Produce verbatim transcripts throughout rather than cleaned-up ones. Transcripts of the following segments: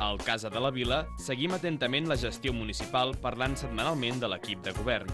Al Casa de la Vila seguim atentament la gestió municipal parlant setmanalment de l'equip de govern.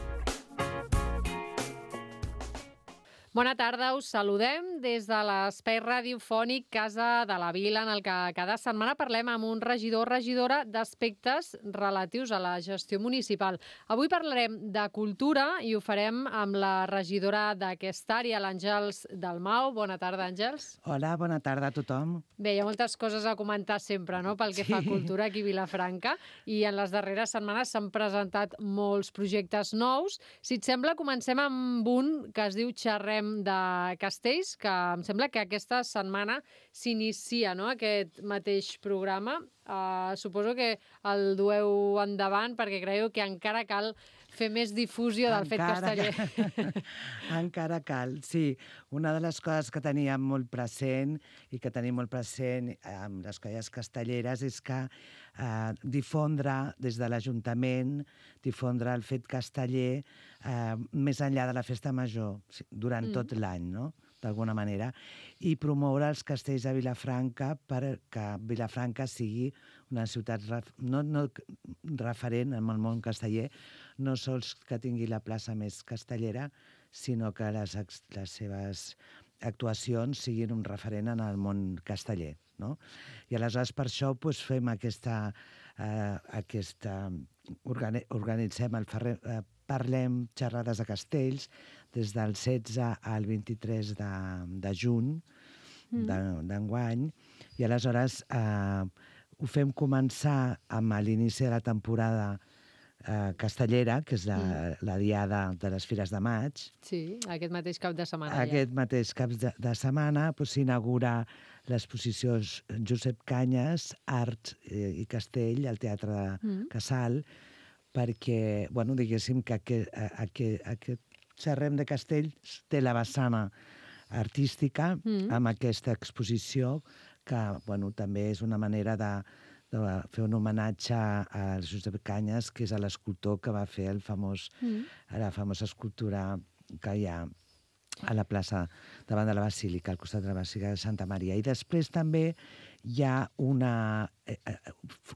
Bona tarda, us saludem des de l'espai radiofònic Casa de la Vila, en el que cada setmana parlem amb un regidor o regidora d'aspectes relatius a la gestió municipal. Avui parlarem de cultura i ho farem amb la regidora d'aquesta àrea, l'Àngels Dalmau. Bona tarda, Àngels. Hola, bona tarda a tothom. Bé, hi ha moltes coses a comentar sempre, no?, pel que sí. fa a cultura aquí a Vilafranca, i en les darreres setmanes s'han presentat molts projectes nous. Si et sembla, comencem amb un que es diu Xerrem de Castells, que em sembla que aquesta setmana s'inicia, no?, aquest mateix programa. Uh, suposo que el dueu endavant perquè creieu que encara cal fer més difusió del encara, fet casteller. Encara cal, sí. Una de les coses que teníem molt present i que tenim molt present amb les colles castelleres és que eh, difondre des de l'Ajuntament, difondre el fet casteller eh, més enllà de la festa major, durant mm. tot l'any, no?, d'alguna manera, i promoure els castells de Vilafranca perquè Vilafranca sigui una ciutat ref, no, no referent en el món casteller, no sols que tingui la plaça més castellera, sinó que les, les seves actuacions siguin un referent en el món casteller, no? I aleshores per això doncs, fem aquesta... Eh, aquesta organi organitzem el ferrer... Eh, Parlem xerrades de castells des del setze al vint-i-tres de, de juny mm. d'enguany, i aleshores eh, ho fem començar amb l'inici de la temporada eh, castellera, que és la, mm. la diada de les Fires de Maig. Sí, aquest mateix cap de setmana. Aquest ja. mateix cap de, de setmana s'inaugura l'exposició Josep Canyes, Art i Castell, al Teatre de mm. Casal, perquè, bueno, diguéssim que aquest, aquest, aquest Xerrem de Castells té la vessana artística mm. amb aquesta exposició que, bueno, també és una manera de, de fer un homenatge a Josep Canyes, que és l'escultor que va fer el famós, mm. la famosa escultura que hi ha a la plaça davant de la Basílica, al costat de la Basílica de Santa Maria. I després també hi ha una... Eh,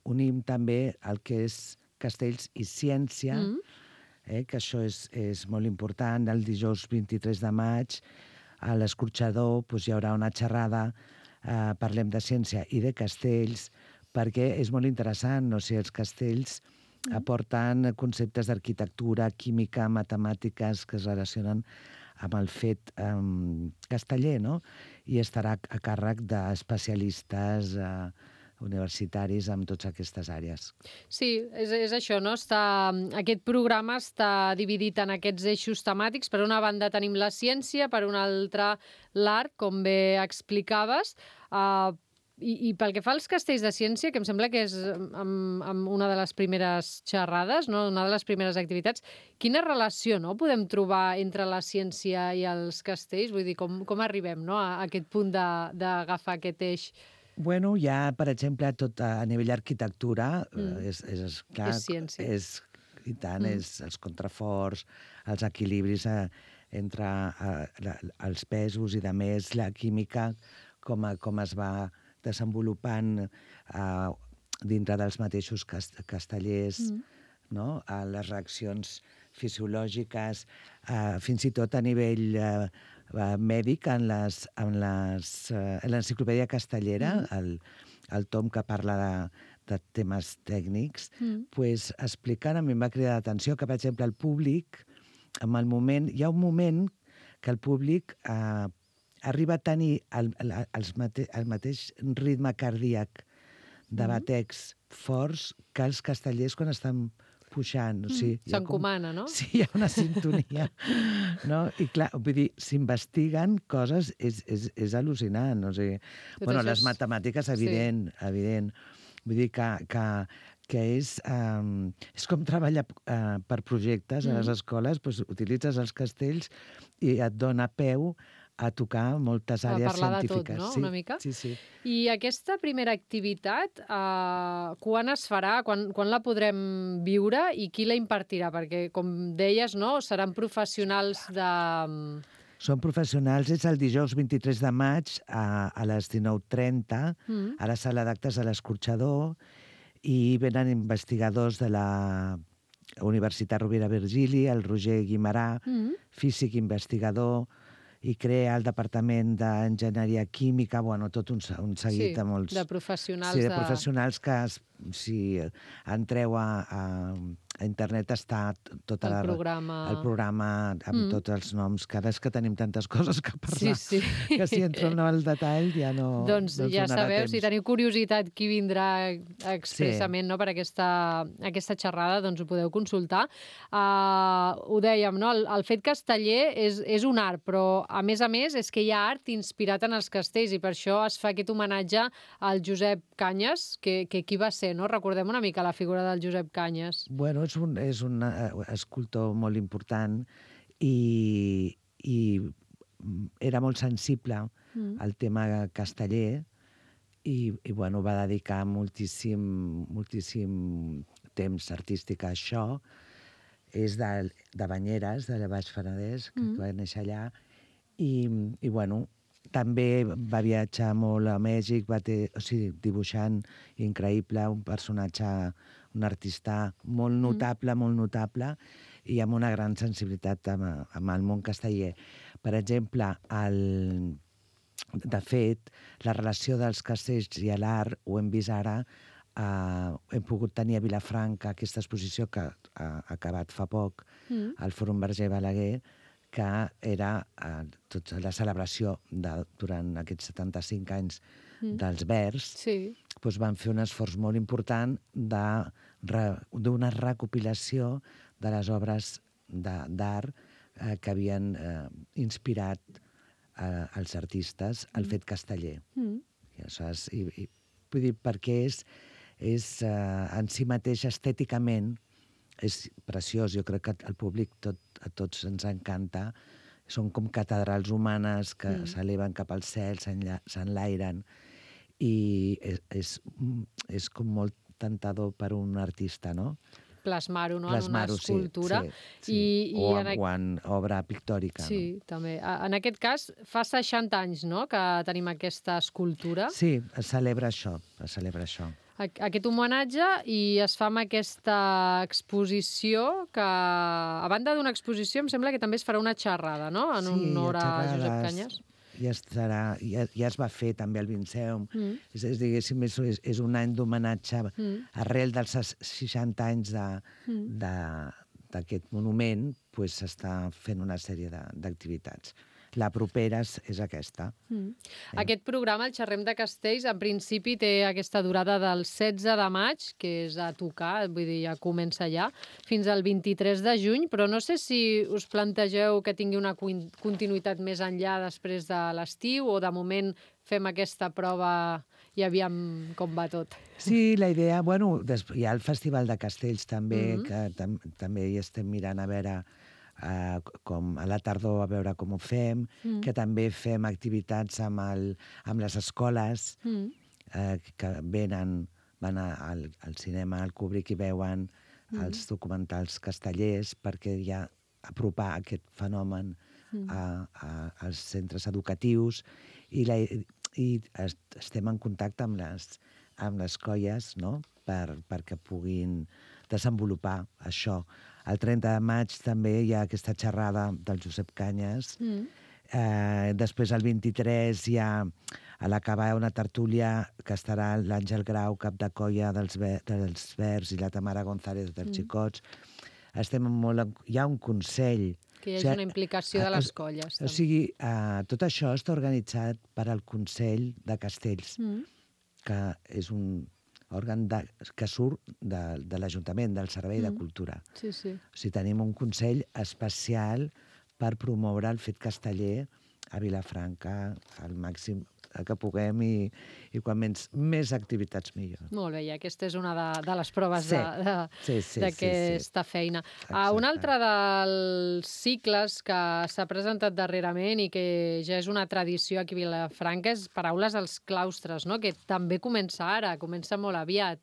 unim també el que és Castells i Ciència, mm. eh, que això és, és molt important. El dijous vint-i-tres de maig, a l'Escorxador, doncs, hi haurà una xerrada, eh, parlem de ciència i de castells, perquè és molt interessant, no? Si els castells mm. aporten conceptes d'arquitectura, química, matemàtiques, que es relacionen amb el fet eh, casteller, no? I estarà a càrrec d'especialistes eh, universitaris amb totes aquestes àrees. Sí, és, és això, no? Està, aquest programa està dividit en aquests eixos temàtics. Per una banda tenim la ciència, per una altra l'art, com bé explicaves, uh, i, i pel que fa als castells de ciència, que em sembla que és amb, amb una de les primeres xerrades, no? Una de les primeres activitats, quina relació, no?, podem trobar entre la ciència i els castells? Vull dir, com, com arribem, no?, a aquest punt d'agafar aquest eix? Bueno, hi ha, per exemple, tot a nivell d'arquitectura, mm. és, és, és, clar, és ciència. És, i tant, mm. és els contraforts, els equilibris eh, entre eh, la, els pesos i, de més, la química, com, a, com es va desenvolupant eh, dintre dels mateixos cast castellers, mm. no? A les reaccions fisiològiques, eh, fins i tot a nivell eh, mèdic, en les, en les, eh, en l'enciclopèdia castellera, mm. el, el tom que parla de, de temes tècnics, mm. pues, expliquen, a mi em va cridar l'atenció que, per exemple, el públic, en el moment, hi ha un moment que el públic eh, arriba a tenir el, el, el, mate, el mateix ritme cardíac de mm. batecs forts que els castellers quan estan puixant. O sigui, mm. S'encomana, no? Sí, hi ha una sintonia. No? I clar, vull dir, s'investiguen coses, és, és, és al·lucinant. O sigui, bueno, les és... matemàtiques, evident, sí. evident. Vull dir que, que, que és, um, és com treballar uh, per projectes mm. a les escoles, doncs, utilitzes els castells i et dona peu a tocar moltes àrees científiques. A parlar de tot, no?, sí, una mica. Sí, sí. I aquesta primera activitat, eh, quan es farà, quan, quan la podrem viure i qui la impartirà? Perquè, com deies, no?, seran professionals de... Són professionals, és el dijous vint-i-tres de maig a, a les dinou trenta, mm. a la sala d'actes de l'Escorxador, i venen investigadors de la Universitat Rovira Virgili, el Roger Guimarà, Mm. físic investigador, i crea el Departament d'Enginyeria Química, bueno, tot un, un seguit Sí, de molts... de professionals. Sí, de de- professionals que, es- si entreu a, a, a internet, està tota El la... programa. El programa amb Mm. tots els noms, que ara és que tenim tantes coses que Sí, parlar, sí. que si entro en el detall ja no, Doncs no ens ja donarà sabeu, temps. si teniu curiositat qui vindrà expressament no, per aquesta, aquesta xerrada, doncs ho podeu consultar. Uh, ho dèiem, no? el, el fet casteller és, és un art, però a més a més és que hi ha art inspirat en els castells i per això es fa aquest homenatge al Josep Canyes, que, que qui va ser, no? Recordem una mica la figura del Josep Canyes. Bueno, és un, és un eh, escultor molt important i, i era molt sensible Mm. al tema casteller i, i bueno, va dedicar moltíssim, moltíssim temps artístic a això. És de, de Banyeres, de Baix Penedès, que Mm. va néixer allà. I, i bueno, també va viatjar molt a Mèxic, va ter, o sigui, dibuixant increïble, un personatge, un artista molt notable, molt notable, i amb una gran sensibilitat amb, amb el món casteller. Per exemple, el, de fet, la relació dels castells i l'art ho hem vist ara, eh, hem pogut tenir a Vilafranca aquesta exposició que ha acabat fa poc, Mm. al Fòrum Verger Balaguer, que era eh, tota la celebració de, durant aquests setanta-cinc anys Mm. dels Verds, Sí. doncs van fer un esforç molt important de re- d'una recopilació de les obres de- d'art eh, que havien eh, inspirat eh, els artistes al fet casteller. Mm. I, aleshores, i, i, vull dir, perquè és, és eh, en si mateix estèticament és preciós. Jo crec que al públic tot, a tots ens encanta. Són com catedrals humanes que Mm. s'eleven cap al cel, s'enlla- s'enlairen, i és, és, és com molt tentador per un artista, no? Plasmar-ho, no? en una Plasmar-ho, sí, escultura. sí, sí. I, i o, en, en, aqu- o en obra pictòrica. Sí, també. A- En aquest cas, fa seixanta anys, no?, que tenim aquesta escultura, No? Sí, es celebra això, es celebra això. a- aquest homenatge, i es fa amb aquesta exposició que, a banda d'una exposició, em sembla que també es farà una xerrada, no?, en Sí, honor hi ha a Josep xerrades. Canyes. Ja, estarà, ja, ja es va fer també al Vinceum. Mm. És, és, diguéssim, és, és, és un any d'homenatge Mm. arrel dels ses- seixanta anys de- Mm. de- d'aquest monument, pues, s'està fent una sèrie de- d'activitats. La propera és, és aquesta. Mm. Aquest programa, el Xerrem de Castells, en principi té aquesta durada del setze de maig, que és a tocar, vull dir, ja comença ja, fins al vint-i-tres de juny, però no sé si us plantegeu que tingui una cuin- continuïtat més enllà després de l'estiu, o de moment fem aquesta prova i aviam com va tot. Sí, la idea... Bueno, des, hi ha el Festival de Castells també, Mhm. que tam, també hi estem mirant a veure uh, com a la tardor, a veure com ho fem, Mm. que també fem activitats amb, el, amb les escoles, Mm. eh, que venen, van a, al, al cinema, al Kubrick, i veuen Mm. els documentals castellers, perquè ja apropar aquest fenomen Mm. a, a, als centres educatius, i, la, i est, estem en contacte amb les, amb les colles, no?, per, perquè puguin desenvolupar això. El trenta de maig també hi ha aquesta xerrada del Josep Canyes. Mm. Eh, després, el vint-i-tres, hi ha a l'acabar una tertúlia que estarà l'Àngel Grau, cap de colla dels, Ver, dels Verds, i la Tamara González dels Mm. Xicots. Estem molt... En, hi ha un consell. Que hi O hagi sigui, una implicació de eh, les es- colles. O també. sigui, eh, tot això està organitzat per al Consell de Castells, Mm. que és un òrgan de, que surt de, de l'Ajuntament, del Servei de Mm. Cultura. Sí, sí. O sigui, tenim un consell especial per promoure el fet casteller a Vilafranca al màxim que puguem, i, i quan menys, més activitats millor. Molt bé, i aquesta és una de, de les proves Sí. de, de, Sí, sí, d'aquesta sí, sí. feina. Uh, un Exacte. altre dels cicles que s'ha presentat darrerament i que ja és una tradició aquí a Vilafranca és Paraules als claustres, no?, que també comença ara, comença molt aviat.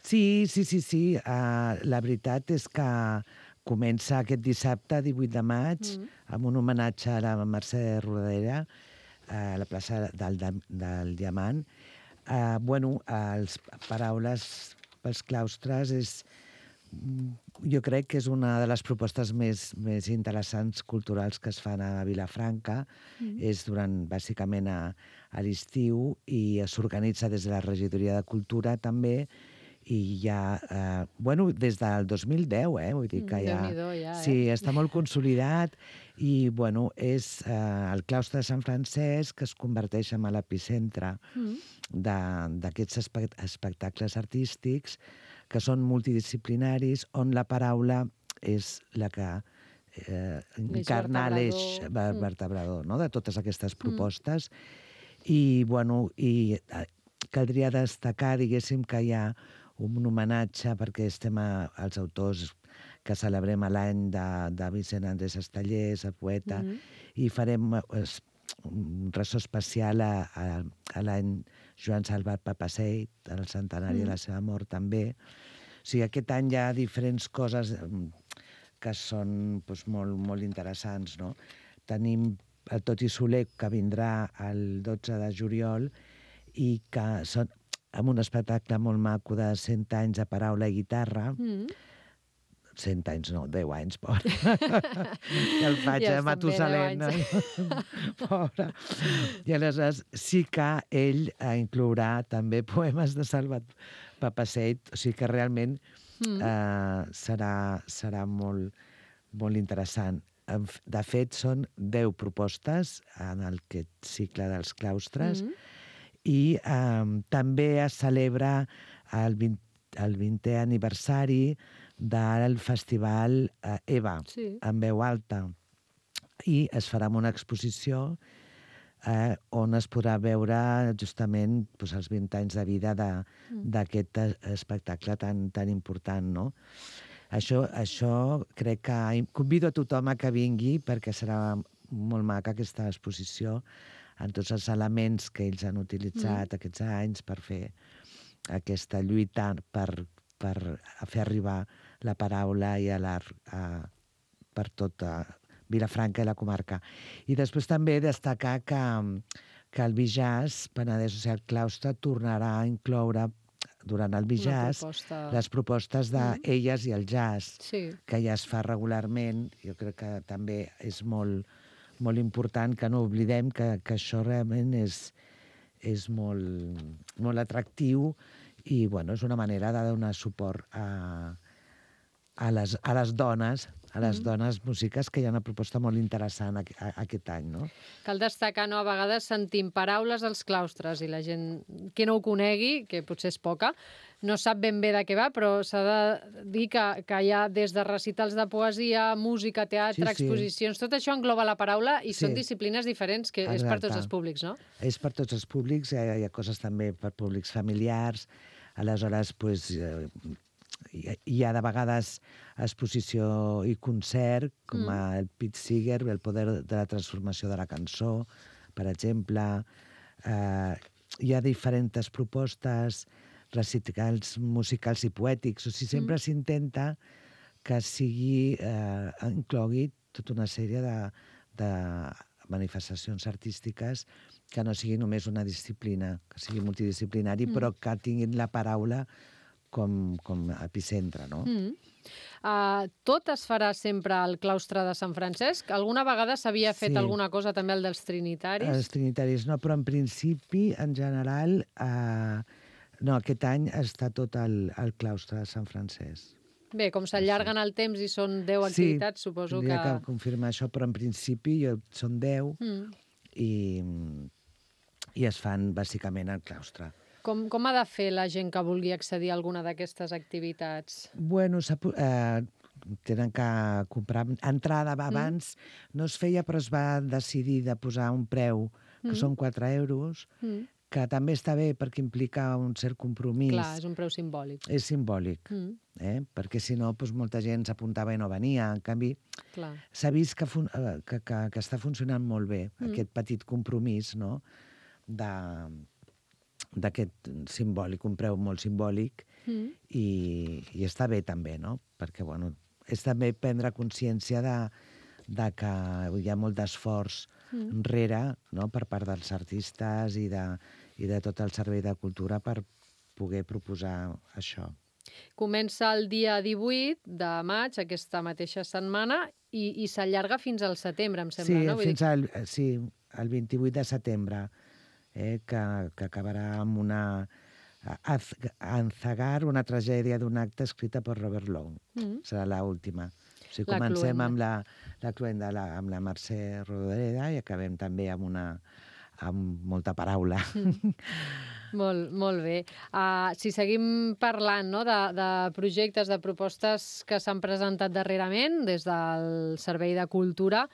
Sí, sí, sí, sí. Uh, la veritat és que comença aquest dissabte, divuit de maig, Mm. amb un homenatge a la Mercè Rodoreda, a la plaça del, del Diamant. Uh, bueno, els paraules pels claustres és, jo crec que és una de les propostes més, més interessants culturals que es fan a Vilafranca. Mm. És durant, bàsicament, a, a l'estiu i s'organitza des de la Regidoria de Cultura també, i ja, eh, bueno, des del dos mil deu, eh? Vull dir que ja... Déu-n'hi-do, ja, eh? Sí, està molt consolidat i, bueno, és eh, el claustre de Sant Francesc que es converteix en l'epicentre mm. d'aquests espe espectacles artístics que són multidisciplinaris, on la paraula és la que eh, encarna l'eix vertebrador, no?, de totes aquestes propostes. Mm. I, bueno, i caldria destacar, diguéssim, que hi ha un homenatge perquè estem a, als autors que celebrem l'any de, de Vicent Andrés Estellés, el poeta, mm-hmm. i farem es, un ressò especial a, a, a l'any Joan Salvat Papasseit, el centenari mm. de la seva mort també. O sigui, aquest any hi ha diferents coses que són doncs, molt, molt interessants, no? Tenim el Toti Soler, que vindrà el dotze de juliol, i que són amb un espectacle molt maco de cent anys de paraula i guitarra. Mm. cent anys, no, deu anys, pobre. Ja el faig, ja eh, Matusalem. Pobre. I aleshores sí que ell inclourà també poemes de Salvat Papasseit, o sigui que realment mm. eh, serà, serà molt, molt interessant. De fet, són deu propostes en aquest cicle dels claustres, mm. i eh, també es celebra el, vint, el vintè aniversari del festival eh, EVA, sí. en veu alta, i es farà una exposició eh, on es podrà veure justament doncs, els vint anys de vida d'aquest mm. espectacle tan, tan important, no? Això, això crec que convido a tothom a que vingui perquè serà molt maca aquesta exposició en tots els elements que ells han utilitzat mm. aquests anys per fer aquesta lluita per, per fer arribar la paraula i l'art per tota Vilafranca i la comarca. I després també destacar que, que el Bijàs, Penedès, o sigui, el claustre, tornarà a incloure durant el Bijàs proposta... les propostes d'elles mm. i el jazz, sí. que ja es fa regularment. Jo crec que també és molt, molt important que no oblidem que, que això realment és, és molt, molt atractiu i bueno, és una manera de donar suport a, a, les, a les dones, a les mm. dones músiques, que hi ha una proposta molt interessant a, a, aquest any, no? Cal destacar, no? A vegades sentim paraules als claustres i la gent que no ho conegui, que potser és poca, no sap ben bé de què va, però s'ha de dir que, que hi ha des de recitals de poesia, música, teatre, sí, sí. exposicions, tot això engloba la paraula i sí. són disciplines diferents, que Exacte. és per tots els públics, no? És per tots els públics, hi ha, hi ha coses també per públics familiars, aleshores, pues, eh, hi ha de vegades exposició i concert, com mm. el Pete Seeger, el poder de la transformació de la cançó, per exemple. Eh, hi ha diferents propostes, recitals musicals i poètics. O sigui, sempre mm. s'intenta que sigui, eh, inclogui tota una sèrie de, de manifestacions artístiques que no sigui només una disciplina, que sigui multidisciplinari, mm. però que tinguin la paraula com, com epicentre, no? Mm. Uh, tot es farà sempre al claustre de Sant Francesc? Alguna vegada s'havia fet sí. alguna cosa també al dels trinitaris? Els trinitaris no, però en principi, en general, uh, no, aquest any està tot al, al claustre de Sant Francesc. Bé, com s'allarguen el temps i són deu activitats, sí, suposo que... Sí, que confirmar això, però en principi són deu mm. i, i es fan bàsicament al claustre. Com, com ha de fer la gent que vulgui accedir a alguna d'aquestes activitats? Bueno, eh, tenen que comprar entrada abans. Mm. No es feia, però es va decidir de posar un preu, que mm. són quatre euros, mm. que també està bé perquè implica un cert compromís. Clar, és un preu simbòlic. És simbòlic, mm. eh? perquè si no, doncs, molta gent s'apuntava i no venia. En canvi, s'ha vist que, que, que, que està funcionant molt bé, mm. aquest petit compromís, no?, de... d'aquest simbòlic, un preu molt simbòlic, mm. i, i està bé també, no? Perquè, bueno, és també prendre consciència de, de que hi ha molt d'esforç mm. enrere, no?, per part dels artistes i de, i de tot el Servei de Cultura per poder proposar això. Comença el dia divuit de maig, aquesta mateixa setmana, i, i s'allarga fins al setembre, em sembla, sí, no? Vull fins dir... al, sí, el vint-i-vuit de setembre, eh, que, que acabarà amb una... Anzagar, una tragèdia d'un acte escrita per Robert Long. Mm. Serà l'última. O sigui, la comencem cluenda. amb la, la cluenda la, amb la Mercè Rodoreda i acabem també amb una amb molta paraula. Mm. Molt, molt bé. Uh, si seguim parlant, no, de, de projectes, de propostes que s'han presentat darrerament des del Servei de Cultura,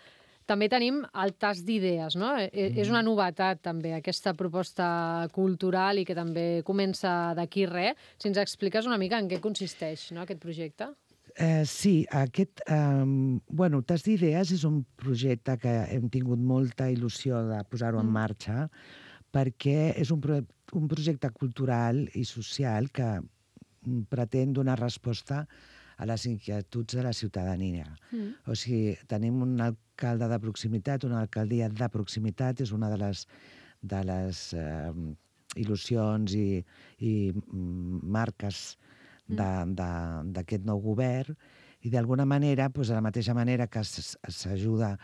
també tenim el tast d'idees, no? Mm. És una novetat, també, aquesta proposta cultural i que també comença d'aquí res. Si ens expliques una mica en què consisteix, no, aquest projecte? Eh, sí, aquest... Eh, bueno, Tast d'idees és un projecte que hem tingut molta il·lusió de posar-ho mm. en marxa perquè és un, pro un projecte cultural i social que pretén donar resposta a les inquietuds de la ciutadania. Mm. O sigui, tenim un alcalde de proximitat, una alcaldia de proximitat, és una de les, de les eh, il·lusions i, i marques d'aquest nou govern, i d'alguna manera, doncs, de la mateixa manera que s'ajuda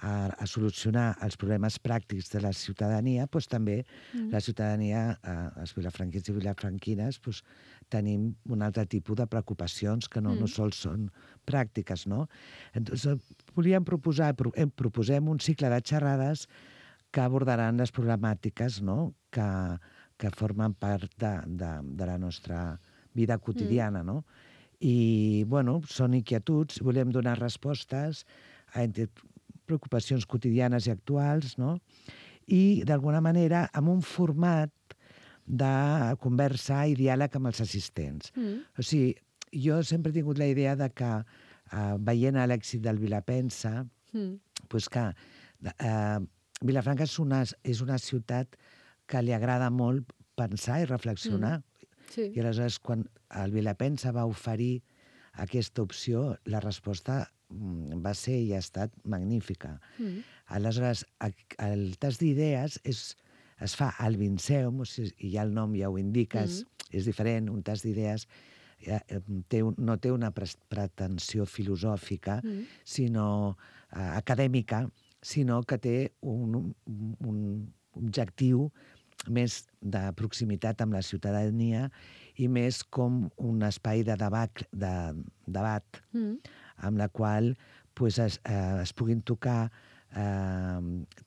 a, a solucionar els problemes pràctics de la ciutadania, doncs també mm. la ciutadania, eh, els vilafranquins i vilafranquines, doncs, tenim un altre tipus de preocupacions que no, mm. no sols són pràctiques, no? Entonces, volíem proposar, proposem un cicle de xerrades que abordaran les problemàtiques, no?, que, que formen part de, de, de la nostra vida quotidiana, mm. no? I, bueno, són inquietuds, volem donar respostes a preocupacions quotidianes i actuals, no? I, d'alguna manera, amb un format de conversa i diàleg amb els assistents. Mm. O sigui, jo sempre he tingut la idea de que, eh, veient l'èxit del Vilapensa, mm. pues que eh, Vilafranca és una, és una ciutat que li agrada molt pensar i reflexionar. Mm. Sí. I aleshores, quan el Vilapensa va oferir aquesta opció, la resposta va ser i ha estat magnífica. Mm. Aleshores, el tast d'idees és, es fa al Vinceum, o sigui, i ja el nom ja ho indica, mm. és, és diferent, un tast d'idees té, no té una pretensió filosòfica, mm. sinó uh, acadèmica, sinó que té un, un objectiu més de proximitat amb la ciutadania i més com un espai de debat, de, debat mm. amb la qual pues, es, eh, es puguin tocar eh,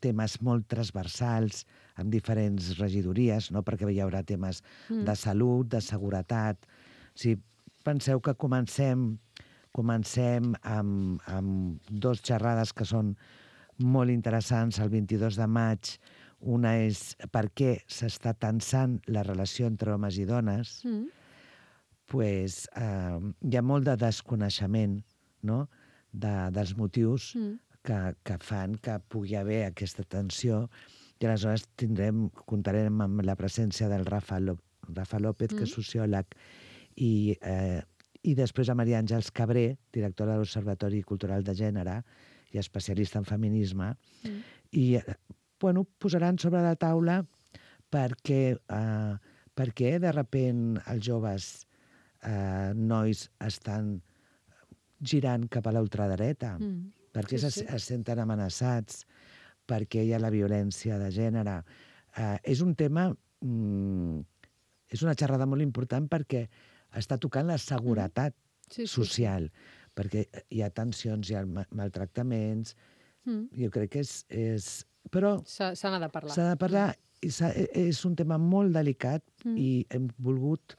temes molt transversals amb diferents regidories, no? Perquè hi haurà temes mm. de salut, de seguretat. O sigui, penseu que comencem, comencem amb, amb dos xerrades que són molt interessants el vint-i-dos de maig. Una és per què s'està tensant la relació entre homes i dones. Mm. Pues, eh, hi ha molt de desconeixement, no?, de, dels motius mm. que, que fan que pugui haver aquesta tensió, i aleshores tindrem, comptarem amb la presència del Rafa, Ló Rafa López, mm. que és sociòleg, i, eh, i després a Maria Àngels Cabré, directora de l'Observatori Cultural de Gènere i especialista en feminisme, mm. i bueno, posaran sobre la taula perquè, eh, perquè de repent els joves eh, nois estan girant cap a la ultradreta, mm. perquè sí, sí. Es, es senten amenaçats, perquè hi ha la violència de gènere. Eh, és un tema, mm, és una xerrada molt important perquè està tocant la seguretat mm. sí, sí, social, sí. perquè hi ha tensions, hi ha maltractaments, mm. jo crec que és... és però se n'ha de parlar. S'ha de parlar, i és un tema molt delicat mm. i hem volgut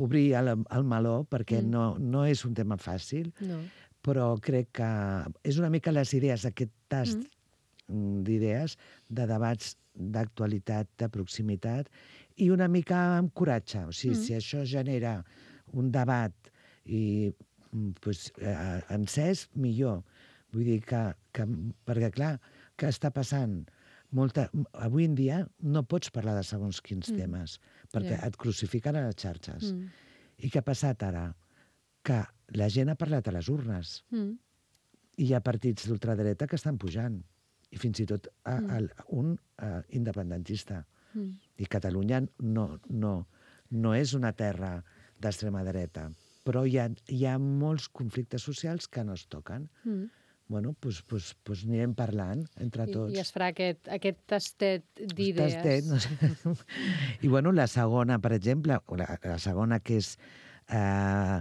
obrir el, el meló perquè mm. no, no és un tema fàcil, no. Però crec que és una mica les idees, aquest tast mm. d'idees, de debats d'actualitat, de proximitat, i una mica amb coratge. O sigui, mm. si això genera un debat i pues, eh, encès, millor. Vull dir que, que perquè clar, què està passant? Molta, avui en dia no pots parlar de segons quins mm. temes, perquè yeah. et crucifiquen a les xarxes. Mm. I què ha passat ara? Que la gent ha parlat a les urnes. Mm. I hi ha partits d'ultradreta que estan pujant. I fins i tot a, a, un a, independentista. Mm. I Catalunya no, no, no és una terra d'extrema dreta, però hi ha, hi ha molts conflictes socials que no es toquen. Mm. Bueno, doncs, doncs, doncs anirem parlant entre I, tots. I es farà aquest, aquest tastet d'idees. Tastet, no sé. I bueno, la segona, per exemple, la, la segona que és eh,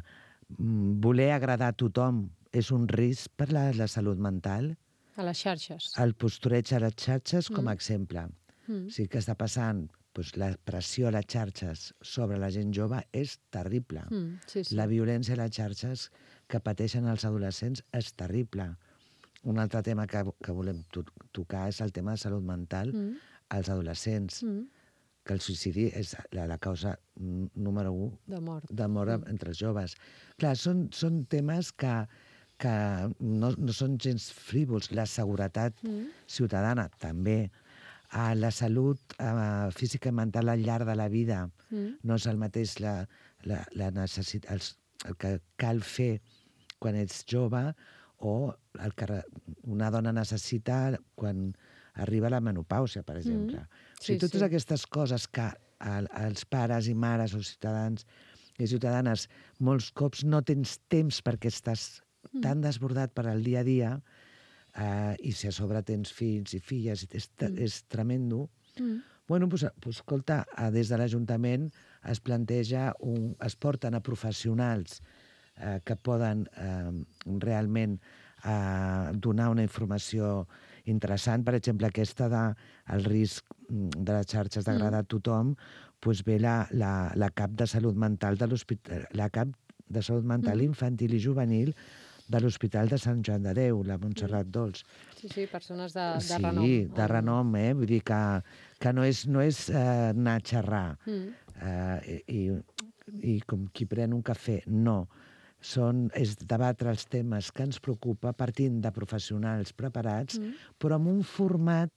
voler agradar a tothom és un risc per la, la salut mental. A les xarxes. El postureig a les xarxes com a Mm. exemple. Mm. O sigui que està passant, doncs, la pressió a les xarxes sobre la gent jove és terrible. Mm. Sí, sí. La violència a les xarxes que pateixen els adolescents és terrible. Un altre tema que, que volem to tocar és el tema de salut mental Mm. als adolescents, Mm. que el suïcidi és la, la causa número un De mort. de mort mm. entre els joves. Clar, són, són temes que, que no, no són gens frívols. La seguretat Mm. ciutadana, també. Uh, la salut uh, física i mental al llarg de la vida. Mm. No és el mateix la, la, la necessit, els, el que cal fer quan ets jove o el que una dona necessita quan arriba a la menopàusia, per exemple. Mm. Sí, O sigui, totes sí. aquestes coses que el, els pares i mares o ciutadans i ciutadanes molts cops no tens temps perquè estàs mm. tan desbordat per al dia a dia eh, i si a sobre tens fills i filles, és, mm. és tremendo. Mm. Bueno, doncs, doncs, escolta, des de l'Ajuntament es planteja, un, es porten a professionals eh, que poden eh, realment eh, donar una informació interessant. Per exemple, aquesta de el risc de les xarxes d'agradar a tothom, doncs ve la, la, la cap de salut mental de l'hospital, la cap de salut mental Mm. infantil i juvenil de l'Hospital de Sant Joan de Déu, la Montserrat Dols. Sí, sí, persones de, de sí, renom. Sí, de renom, eh? Vull dir que, que no és, no és eh, anar a xerrar Mm. eh, i, i com qui pren un cafè, no. Són, és debatre els temes que ens preocupa partint de professionals preparats, mm. però amb un format,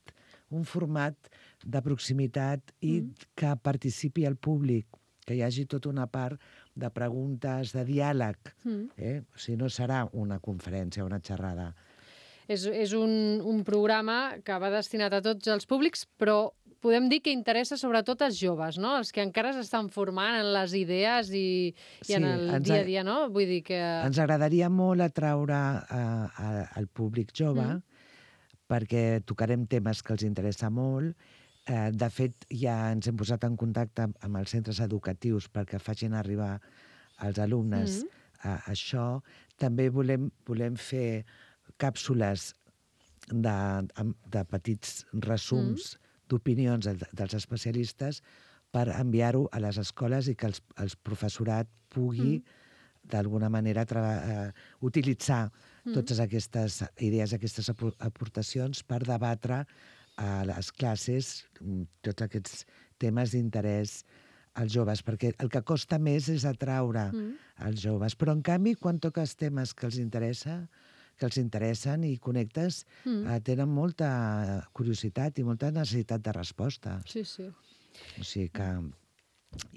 un format de proximitat i mm. que participi el públic, que hi hagi tota una part de preguntes, de diàleg. Mm. Eh? O sigui, no serà una conferència, una xerrada. És, és un, un programa que va destinat a tots els públics, però podem dir que interessa sobretot als joves, no? Els que encara s'estan formant en les idees i, i sí, en el dia a dia, no? Vull dir que... Ens agradaria molt atraure uh, al públic jove, mm. perquè tocarem temes que els interessa molt. Uh, de fet, ja ens hem posat en contacte amb els centres educatius perquè facin arribar als alumnes mm. uh, això. També volem, volem fer càpsules de, de petits resums mm. d'opinions dels especialistes per enviar-ho a les escoles i que els, el professorat pugui, mm. d'alguna manera, uh, utilitzar mm. totes aquestes idees, aquestes aportacions per debatre a les classes tots aquests temes d'interès als joves, perquè el que costa més és atraure mm. els joves. Però, en canvi, quan toques temes que els interessa, que els interessen i connectes, mm. eh, tenen molta curiositat i molta necessitat de resposta. Sí, sí. O sigui que...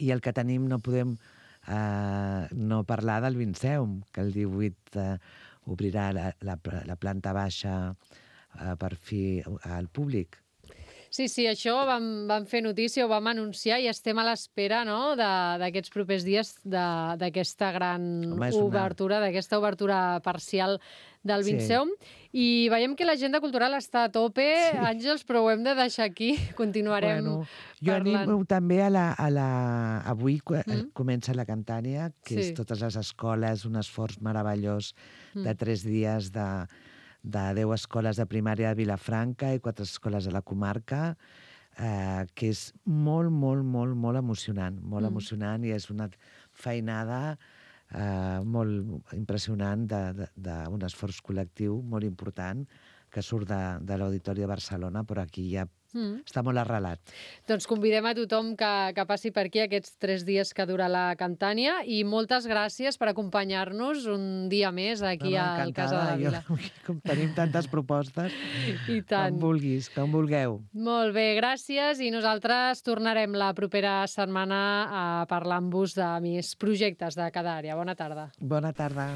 I el que tenim no podem eh, no parlar del Vinceum, que el divuit eh, obrirà la, la, la planta baixa eh, per fi al públic. Sí, sí, això vam, vam fer notícia, ho vam anunciar i estem a l'espera, no?, d'aquests propers dies d'aquesta gran Home, obertura, una... d'aquesta obertura parcial del Vinceum. Sí. I veiem que l'agenda cultural està a tope, sí. Àngels, però ho hem de deixar aquí. Continuarem bueno, jo parlant. animo també a la... A la... Avui mm. comença la Cantània, que sí. és totes les escoles, un esforç meravellós mm. de tres dies de... de deu escoles de primària de Vilafranca i quatre escoles de la comarca, eh, que és molt, molt, molt, molt emocionant, molt mm. emocionant, i és una feinada eh, molt impressionant d'un esforç col·lectiu molt important que surt de, de l'Auditori de Barcelona, però aquí ja mm. està molt arrelat. Doncs convidem a tothom que, que passi per aquí aquests tres dies que dura la Cantània i moltes gràcies per acompanyar-nos un dia més aquí no, no, al Casa de la Vila. Jo, tenim tantes propostes. I tant. Com vulguis, com vulgueu. Molt bé, gràcies, i nosaltres tornarem la propera setmana a parlar amb vos de més projectes de cada àrea. Bona tarda. Bona tarda.